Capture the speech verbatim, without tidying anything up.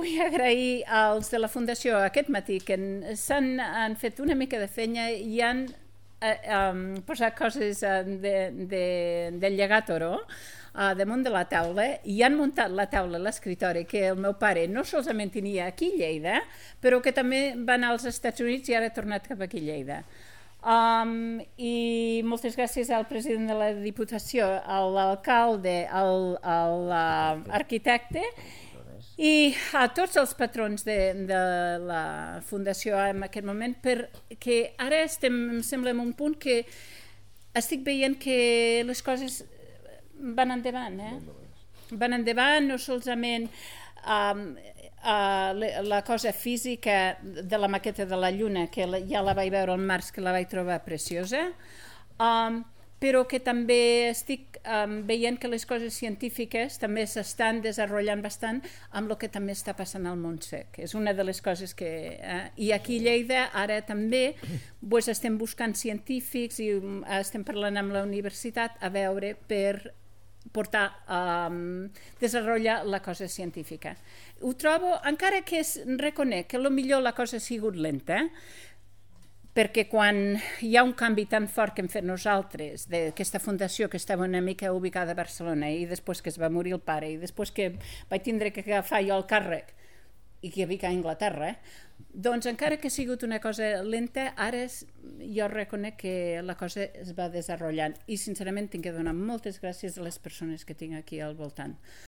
vull agrair als de la Fundació aquest matí, que s'han han fet una mica de feina i han eh, um, posat coses uh, de, de, del llegat oro uh, damunt de la taula i han muntat la taula a l'escritori que el meu pare no solament tenia aquí a Lleida, però que també va anar als Estats Units i ara ha tornat cap aquí a Lleida. Um, i moltes gràcies al president de la Diputació, a l'alcalde, al, al uh, arquitecte i a tots els patrons de, de la Fundació en aquest moment, perquè ara estem, em sembla, en un punt que estic veient que les coses van endavant, eh? Van endavant, no solament um, Uh, la cosa física de la maqueta de la Lluna, que la, ja la vaig veure al març, que la vaig trobar preciosa, um, però que també estic um, veient que les coses científiques també s'estan desenvolupant bastant amb el que també està passant al Montsec. És una de les coses que... Eh, I aquí a Lleida ara també pues, estem buscant científics i um, estem parlant amb la universitat a veure per portar a um, desenvolupar la cosa científica. Ho trobo, encara que es reconec que potser la cosa ha sigut lenta, perquè quan hi ha un canvi tan fort que hem fet nosaltres d'aquesta fundació que estava una mica ubicada a Barcelona i després que es va morir el pare i després que vaig tindre que agafar jo el càrrec i que havia a Anglaterra, eh? Doncs encara que ha sigut una cosa lenta, ara és, jo reconec que la cosa es va desenvolupant i sincerament tinc que donar moltes gràcies a les persones que tinc aquí al voltant.